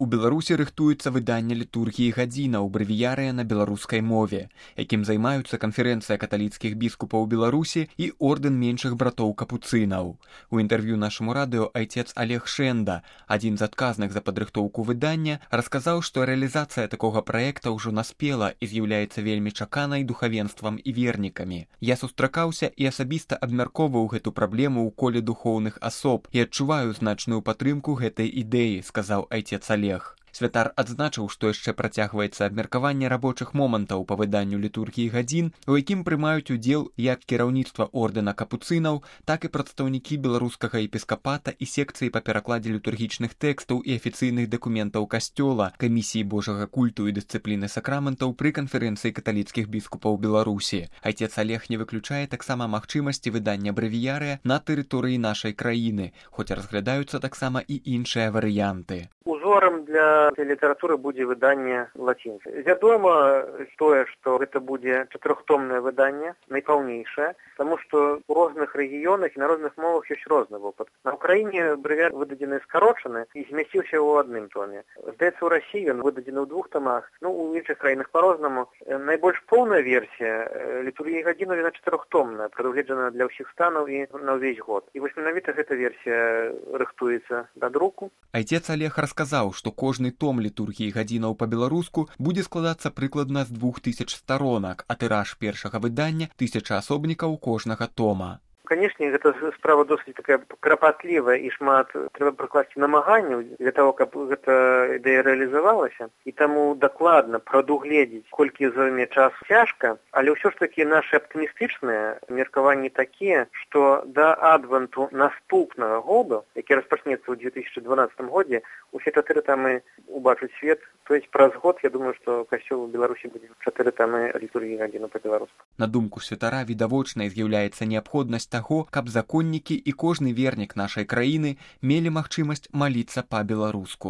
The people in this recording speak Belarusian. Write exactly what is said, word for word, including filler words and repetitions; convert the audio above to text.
У Беларусі рыхтуецца выданне літургіі гадзінаў брэвіярыя на беларускай мове, якім займаюцца канферэнцыя каталіцкіх біскупаў Беларусі і ордэн меншых братоў капуцынаў. У інтэрв'ю нашаму радыё айцец Олег Шэнда, адзін з адказных за падрыхтоўку выдання, расказаў, што рэалізацыя такога праекта ўжо наспела і з'яўляецца вельмі чаканай духавенствам і вернікамі. Я сустракаўся і асабіста абмяркоўваў гэту праблему ў коле духоўных асоб і адчуваю значную падтрымку гэтай ідэі, сказаў айцец Олег. Святар адзначыў, што яшчэ працягваецца абмеркаванне рабочых момантаў па выданню літургіі гадзін, у якім прымаюць удзел як кіраўніцтва ордэна капуцынаў, так і прадстаўнікі беларускага епіскапата і секцыі па перакладзе літургічных тэкстаў і афіцыйных дакументаў касцёла, камісіі божага культу і дысцыпліны сакраментаў пры канферэнцыі каталіцкіх біскупаў Беларусі. Айцец Олег не выключае таксама магчымасці выдання брэвіярыя на тэрыторыі нашай краіны, хоць разглядаюцца таксама і іншыя варыянты. Узорам для літаратуры будзе выданне лацінцы. Вядома тое, што гэта будзе чатырохтомнае выданне, найпаўнейшае, таму што ў розных рэгіёнах і на розных мовах ёсць розны вопыт. На Ўкраіне брэвіяр выдадзены скарочаны і змясціўся ў адным томе. Здаецца, ў Расіі ён выдадзены ў двух томах, ну, у іншых краінах па-рознаму. Найбольш поўная версія літургіі гадзінаў, яна чатырохтомная, прадугледжана для ўсіх станаў і на ўвесь год. І вось менавіта гэта версія рыхтуецца да друку. Айцец Олег расказаў, што кожны том літургіі гадзінаў па-беларуску будзе складацца прыкладна з двух тысяч сторонак, а тыраж першага выдання тысяча асобнікаў кожнага тома. Канешне, гэта справа досыць такая крапатлівая і шмат трэба прыкласці намаганняў для того, каб гэта ідэя рэалізавалася. І таму дакладна прадугледзець, колькі зойме час, цяжка, але ўсё ж такі нашы аптымістычныя меркаванні такія, што да адвенту наступнага году, які распачнецца ў две тысячы дванаццатым годзе, усе чатыры тамы убачыць свет. То есть праз год, я думаю, што касцёл у Беларусі будзе чатыры тамы літургіі гадзінаў па-беларуску. На думку святара, відавочнай з'яўляецца неабходнасць таго, каб законнікі і кожны вернік нашай краіны мелі магчымасць маліцца па-беларуску.